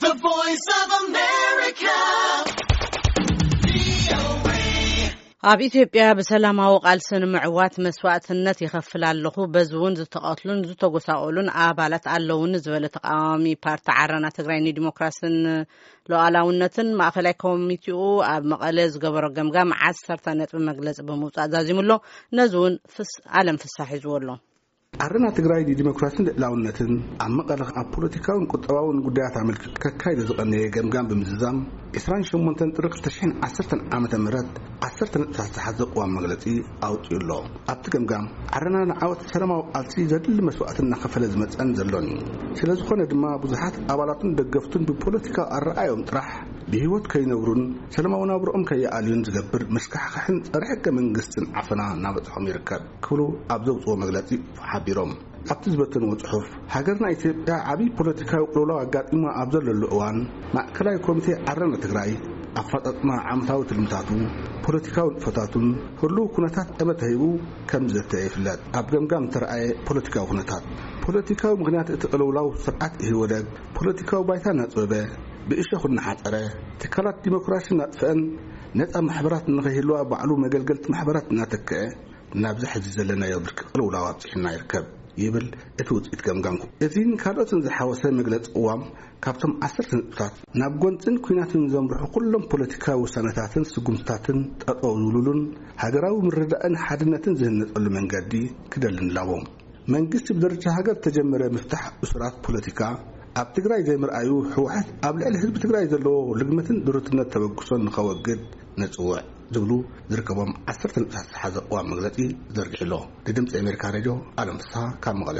The Voice of America. ኣብ ኢትዮጵያ ብሰላማዊ ቃልሲ ንምዕዋት መስዋእትነት ይኸፍል ኣለኹ። በዚ እውን ዝተቐትሉን ዝተጎሳቆሉን ኣባላት ኣለውኒ ዝበለ ተቃዋሚ ፓርቲ ዓረና ትግራይ ንዲሞክራስን ሉዓላውነትን ማእኸላይ ኮሚቴኡ ኣብ መቐለ ዝገበሮ ገምጋም ዓሰርተ ነጥቢ መግለፂ ብምውፃእ ዛዚሙ ኣሎ። ነዚ እውን ፍስ-፣ ኣለም ፍሳሕ ሒዝዎ ኣሎ። ዓረና ትግራይ ንዲሞክራስን ልዕላውነትን ኣብ መቐለ ኣብ ፖለቲካውን ቁጠባውን ጉዳያት ኣመልኪቱ ከካይዶ ዝቐነየ ገምጋም ብምዝዛም፣ ዕስራን ሸሞንተን ጥሪ ክልተ ሽሕን ዓሰርተን ዓመተ ምህረት ዓሰርተ ነጥብታት ዝሓዘ ቅዋም መግለጺ ኣውጺኡ ኣሎ። ኣብቲ ገምጋም፣ ዓረና ንዓወት ሰላማዊ ቃልሲ ዘድሊ መስዋእቲ እናኸፈለ ዝመጸን ዘሎን እዩ። ስለ ዝኾነ ድማ፣ ብዙሓት ኣባላቱን ደገፍቱን ብፖለቲካዊ ኣረኣዮም ጥራሕ ብህይወት ከይነብሩን ሰላማዊ ናብርኦም ከይኣልዩን ዝገብር መስካሕክሕን ጸረ ሕገ መንግስትን ዓፈና እናበጽሖም ይርከብ ክብሉ ኣብ ዘውጽዎ መግለጺ ሓቢሮም። ኣብቲ ዝበተንዎ ጽሑፍ፣ ሃገርና ኢትዮጵያ ዓብዪ ፖለቲካዊ ቅልውላው ኣጋጢማ ኣብ ዘለሉ እዋን፣ ማእከላይ ኮሚቴ ዓረና ትግራይ ኣፈጻጽማ ዓመታዊ ትልምታቱ፣ ፖለቲካዊ ንጥፈታቱን ህሉው ኩነታት ጠመተ ሂቡ ከም ዝዘተ ይፍለጥ። ኣብ ገምጋም እተረኣየ ፖለቲካዊ ኩነታት፣ ፖለቲካዊ ምኽንያት እቲ ቅልውላው ስርዓት ኢህወደግ ፖለቲካዊ ባይታ እናጽበበ፣ ብእሾኽ እናሓጸረ፣ ትካላት ዲሞክራሲ እናጥፍአን ነጻ ማሕበራት ንኸይህልዋ ባዕሉ መገልገልቲ ማሕበራት እናተክአ፣ ናብዚ ሕዚ ዘለናዮ ብርኪ ቅልውላው ኣብጺሑና ይርከብ ይብል እቲ ውጽኢት ገምጋም። እዚን ካልኦትን ዝሓወሰ መግለጺ ቅዋም ካብቶም ዓሰርተ ነጥብታት፣ ናብ ጎንጽን ኲናትን ዘምርሑ ኩሎም ፖለቲካዊ ውሳነታትን ስጉምትታትን ጠጠው ዝብሉሉን ሃገራዊ ምርድዳእን ሓድነትን ዝህነጸሉ መንገዲ ክደሊ ንላቦ። መንግስቲ ብደረጃ ሃገር ዝተጀመረ ምፍታሕ እሱራት ፖለቲካ ኣብ ትግራይ ዘይምርኣዩ፣ ህወሓት ኣብ ልዕሊ ህዝቢ ትግራይ ዘለዎ ልግመትን ድሩትነት ተበግሶን ንኸወግድ ነጽውዕ ዝብሉ ዝርከቦም ዓሰርተ ነጥብታት ዝሓዘ ቅዋም መግለጺ ዘርጊሑ ኣሎ። ንድምፂ ኣሜሪካ ሬድዮ ኣለም ፍስሃ ካብ መቐለ።